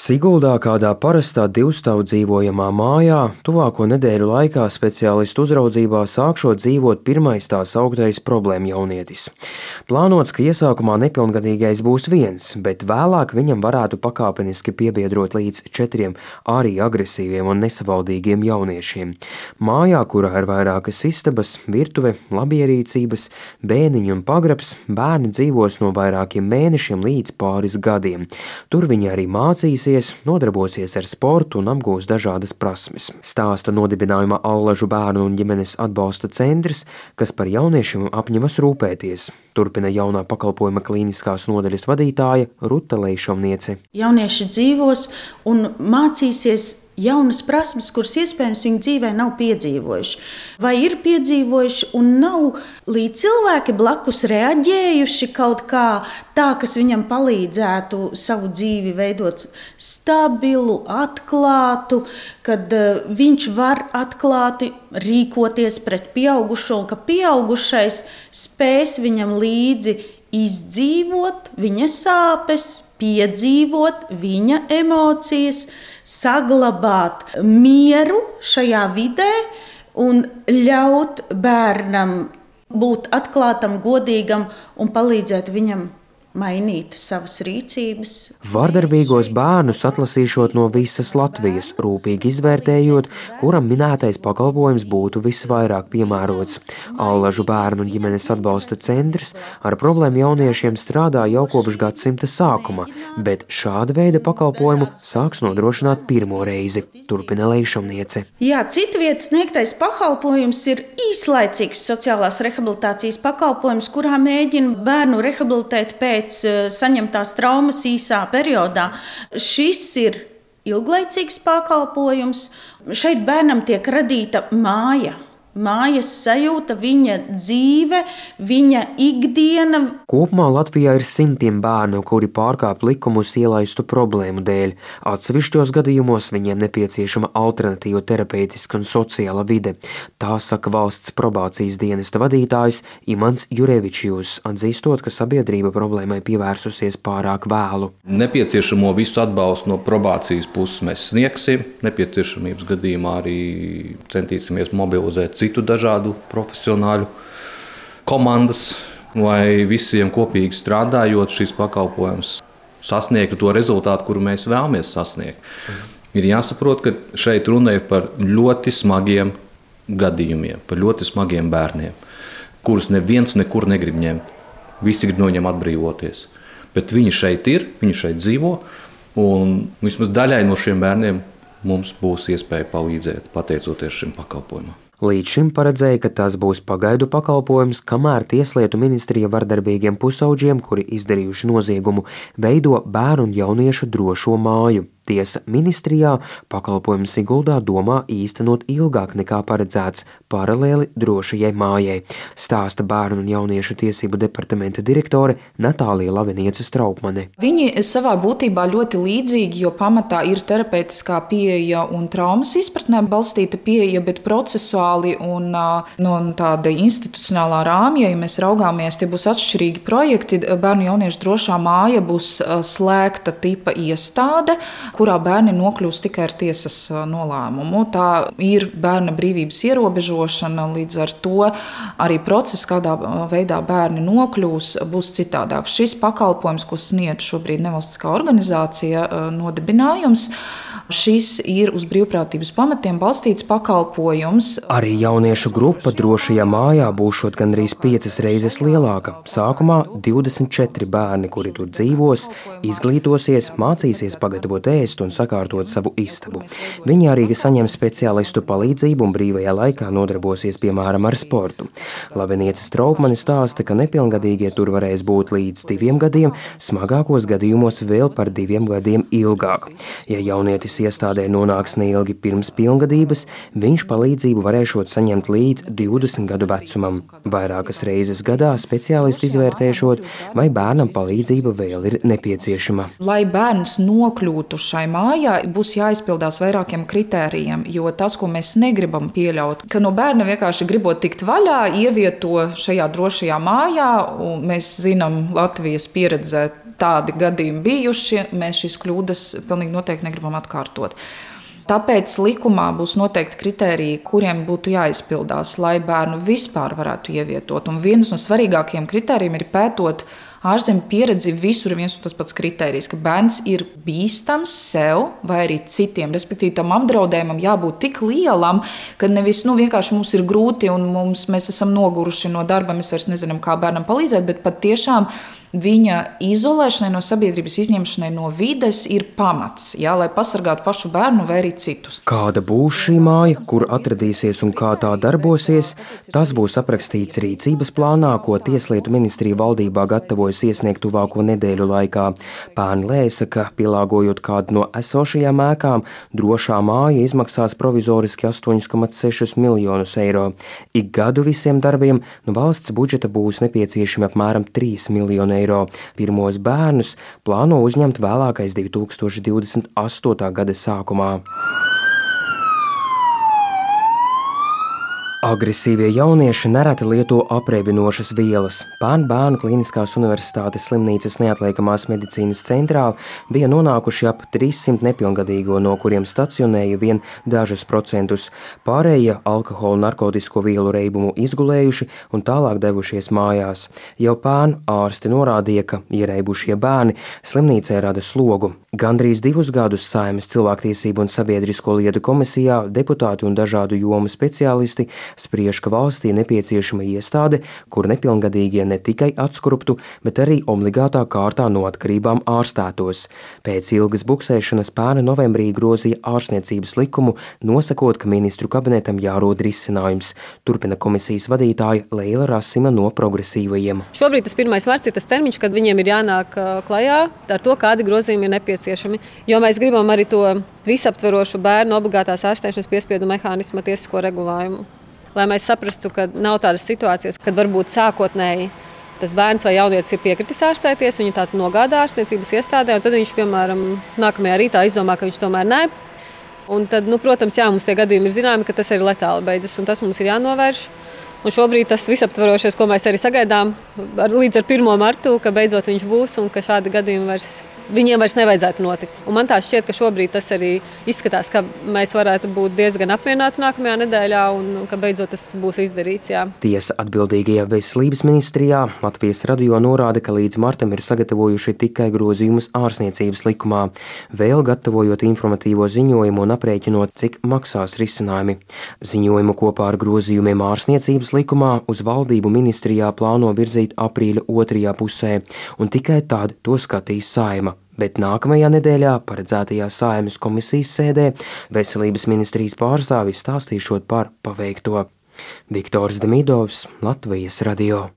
Siguldā kādā parastā divstāvu dzīvojamā mājā tuvāko nedēļu laikā speciālistu uzraudzībā sākšot dzīvot pirmais tā sauktais problēmu jaunietis. Plānots, ka iesākumā nepilngadīgais būs viens, bet vēlāk viņam varētu pakāpeniski piebiedrot līdz 4 arī agresīviem un nesavaldīgiem jauniešiem. Mājā, kurā ir vairākas istabas, virtuve, labierīcības, bēniņi un pagrabs, bērni dzīvos no vairākiem mēnešiem līdz pāris gadiem. Tur viņi arī mācīs, nodarbosies ar sportu un apgūs dažādas prasmes. Stāsta nodibinājuma Allažu bērnu un ģimenes atbalsta centrs, kas par jauniešiem apņemas rūpēties. Turpina jaunā pakalpojuma klīniskās nodaļas vadītāja Ruta Leišovniece. Jaunieši dzīvos un mācīsies jaunas prasmes, kuras iespējams viņa dzīvē nav piedzīvojuši. Vai ir piedzīvojuši un nav līdz cilvēki blakus reaģējuši kaut kā tā, kas viņam palīdzētu savu dzīvi veidot stabilu, atklātu, kad viņš var atklāti rīkoties pret pieaugušo, un ka pieaugušais spēs viņam līdzi izdzīvot viņa sāpes, piedzīvot viņa emocijas, saglabāt mieru šajā vidē un ļaut bērnam būt atklātam, godīgam un palīdzēt viņam mainīt savas rīcības. Vardarbīgos bērnus atlasīšot no visas Latvijas, rūpīgi izvērtējot, kuram minētais pakalpojums būtu visvairāk piemērots. Allažu bērnu un ģimenes atbalsta centrs ar problēmu jauniešiem strādā jau kopš gadsimta sākuma, bet šāda veida pakalpojumu sāks nodrošināt pirmo reizi, turpina Leišovniece. Jā, citvietas sniegtais pakalpojums ir īslaicīgs sociālās rehabilitācijas pakalpojums, kurā mēģina bērnu rehabilitēt pēc saņemtās traumas īsā periodā. Šis ir ilglaicīgs pakalpojums. Šeit bērnam tiek radīta māja. Mājas sajūta, viņa dzīve, viņa ikdiena. Kopumā Latvijā ir simtiem bērnu, kuri pārkāp likumus ielaistu problēmu dēļ. Atsevišķos gadījumos viņiem nepieciešama alternatīva terapeitiska un sociāla vide. Tā saka valsts probācijas dienesta vadītājs Imants Jurevičijus, atzīstot, ka sabiedrība problēmai pievērsusies pārāk vēlu. Nepieciešamo visu atbalstu no probācijas puses mēs sniegsim. Nepieciešamības gadījumā arī centīsimies mobilizēt citu dažādu profesionāļu komandas, lai visiem kopīgi strādājot šis pakalpojums sasniegtu to rezultātu, kuru mēs vēlamies sasniegt. Ir jāsaprot, ka šeit runa ir par ļoti smagiem gadījumiem, par ļoti smagiem bērniem, kurus neviens nekur negrib ņemt. Visi grib no viņiem atbrīvoties. Bet viņi šeit ir, viņi šeit dzīvo, un vismaz daļai no šiem bērniem mums būs iespēja palīdzēt, pateicoties šim pakalpojumam. Līdz šim paredzēja, ka tas būs pagaidu pakalpojums, kamēr Tieslietu ministrija vardarbīgiem pusauģiem, kuri izdarījuši noziegumu, veido bērnu un jauniešu drošo māju. Tiesa ministrijā pakalpojumu Siguldā domā īstenot ilgāk nekā paredzēts, paralēli drošajai mājai, stāsta bērnu un jauniešu tiesību departamenta direktore Natālija Laviniece Straupmane. Viņi savā būtībā ļoti līdzīgi, jo pamatā ir terapeitiskā pieeja un traumas izpratnē balstīta pieeja, bet procesuāli un no tāda institucionālā rāmja, ja mēs raugāmies, tie būs atšķirīgi projekti. Bērnu jauniešu drošā māja būs slēgta tipa iestāde, kurā bērni nokļūst tikai ar tiesas nolēmumu. Tā ir bērna brīvības ierobežošana, līdz ar to arī process, kādā veidā bērni nokļūs, būs citādāks. Šis pakalpojums, ko sniedz šobrīd nevalstiskā organizācija nodibinājums, šis ir uz brīvprātības pamatiem balstīts pakalpojums. Arī jauniešu grupa drošajā mājā būšot gandrīz 5 reizes lielāka. Sākumā 24 bērni, kuri tur dzīvos, izglītosies, mācīsies pagatavot ēst un sakārtot savu istabu. Viņi arī saņem speciālistu palīdzību un brīvajā laikā nodarbosies, piemēram, ar sportu. Laviniece Straupmane stāsta, ka nepilngadīgie tur varēs būt līdz 2 gadiem, smagākos gadījumos vēl par 2 gadiem ilgāk. Ja jaunietis iestādē nonāks neilgi pirms pilngadības, viņš palīdzību varēšot saņemt līdz 20 gadu vecumam. Vairākas reizes gadā speciālisti izvērtēšot, vai bērnam palīdzība vēl ir nepieciešama. Lai bērns nokļūtu šai mājā, būs jāizpildās vairākiem kritērijiem, jo tas, ko mēs negribam pieļaut, ka no bērna vienkārši gribot tikt vaļā, ievieto šajā drošajā mājā, un mēs zinām Latvijas pieredzē tādi gadījumi bijuši. Mēs šīs kļūdas pilnīgi noteikti negribam atkārtot. Tāpēc likumā būs noteikti kritēriji, kuriem būtu jāizpildās, lai bērnu vispār varētu ievietot. Un viens no svarīgākajiem kritērijiem ir pētot ārzemju pieredzi, visur ir viens un tas pats kritērijs, ka bērns ir bīstams sev vai arī citiem. Respektīvi, tam apdraudējumam jābūt tik lielam, ka nevis vienkārši mums ir grūti un mēs esam noguruši no darba, mēs vairs nezinām, kā bērnam palīdzēt, bet patiešām viņa izolēšanai no sabiedrības, izņemšanai no vides ir pamats, lai pasargātu pašu bērnu vai arī citus. Kāda būs šī māja, kur atradīsies un kā tā darbosies, tas būs aprakstīts rīcības plānā, ko Tieslietu ministrija valdībā gatavojas iesniegt tuvāko nedēļu laikā. Pērni lēsa, ka pielāgojot kādu no esošajām ēkām, drošā māja izmaksās provizoriski 8,6 miljonus eiro. Ik gadu visiem darbiem no valsts budžeta būs nepieciešami apmēram 3 miljoni eiro. Pirmos bērnus plāno uzņemt vēlākais 2028. gada sākumā. Agresīvie jaunieši nereti lieto apreibinošas vielas. Pērn Bērnu Kliniskās universitātes slimnīcas neatliekamās medicīnas centrā bija nonākuši ap 300 nepilngadīgo, no kuriem stacionēja vien dažus procentus. Pārējie alkoholu un narkotisko vielu reibumu izgulējuši un tālāk devušies mājās. Jau pērn ārsti norādīja, ka iereibušie bērni slimnīcē rada slogu. Gandrīz 2 gadus Saeimas cilvēktiesību un sabiedrisko lietu komisijā deputāti un dažādu jomu speciālisti spriež, ka valstī nepieciešama iestāde, kur nepilngadīgie ne tikai atskruptu, bet arī obligātā kārtā no atkarībām ārstētos. Pēc ilgas buksēšanas Pērni novembrī grozīja ārstniecības likumu, nosakot, ka ministru kabinetam jārod risinājums. Turpina komisijas vadītāja Leila Rasima no Progresīvajiem. Šobrīd tas 1. marts ir tas termiņš, kad viņiem ir jānāk klajā ar to, kādi grozījumi ir nepieciešami. Jo mēs gribam arī to visaptverošu bērnu obligātās ārstēšanas piespiedu mehānisma tiesisko regulējumu. Lai mēs saprastu, ka nav tādas situācijas, kad varbūt sākotnēji tas bērns vai jaunietis ir piekritis ārstēties, viņu tātad nogādā ārstniecības iestādē, un tad viņš, piemēram, nākamajā rītā izdomā, ka viņš tomēr nē. Un tad, protams, mums tie gadījumi ir zināmi, ka tas arī letāli beidzas, un tas mums ir jānovērš. Un šobrīd tas visaptverošais, ko mēs arī sagaidām līdz ar 1. martu, ka beidzot viņš būs un ka šādi gadījumi viņiem vairs nevajadzētu notikt. Un man tā šķiet, ka šobrīd tas arī izskatās, ka mēs varētu būt diezgan apmierināti nākamajā nedēļā un ka beidzot tas būs izdarīts. Jā. Tiesa atbildīgajā veselības ministrijā Latvijas radio norāda, ka līdz martam ir sagatavojuši tikai grozījumus ārstniecības likumā, vēl gatavojot informatīvo ziņojumu un aprēķinot, cik maksās risinājumi. Ziņojumu kopā ar grozījumiem ārstniecības likumā uz valdību ministrijā plāno virzīt aprīļa 2. pusē, un tikai tad to skatīs Saeima. Bet nākamajā nedēļā paredzētajā Saeimas komisijas sēdē veselības ministrijas pārstāvis stāstīšot par paveikto. Viktors Demidovs, Latvijas radio.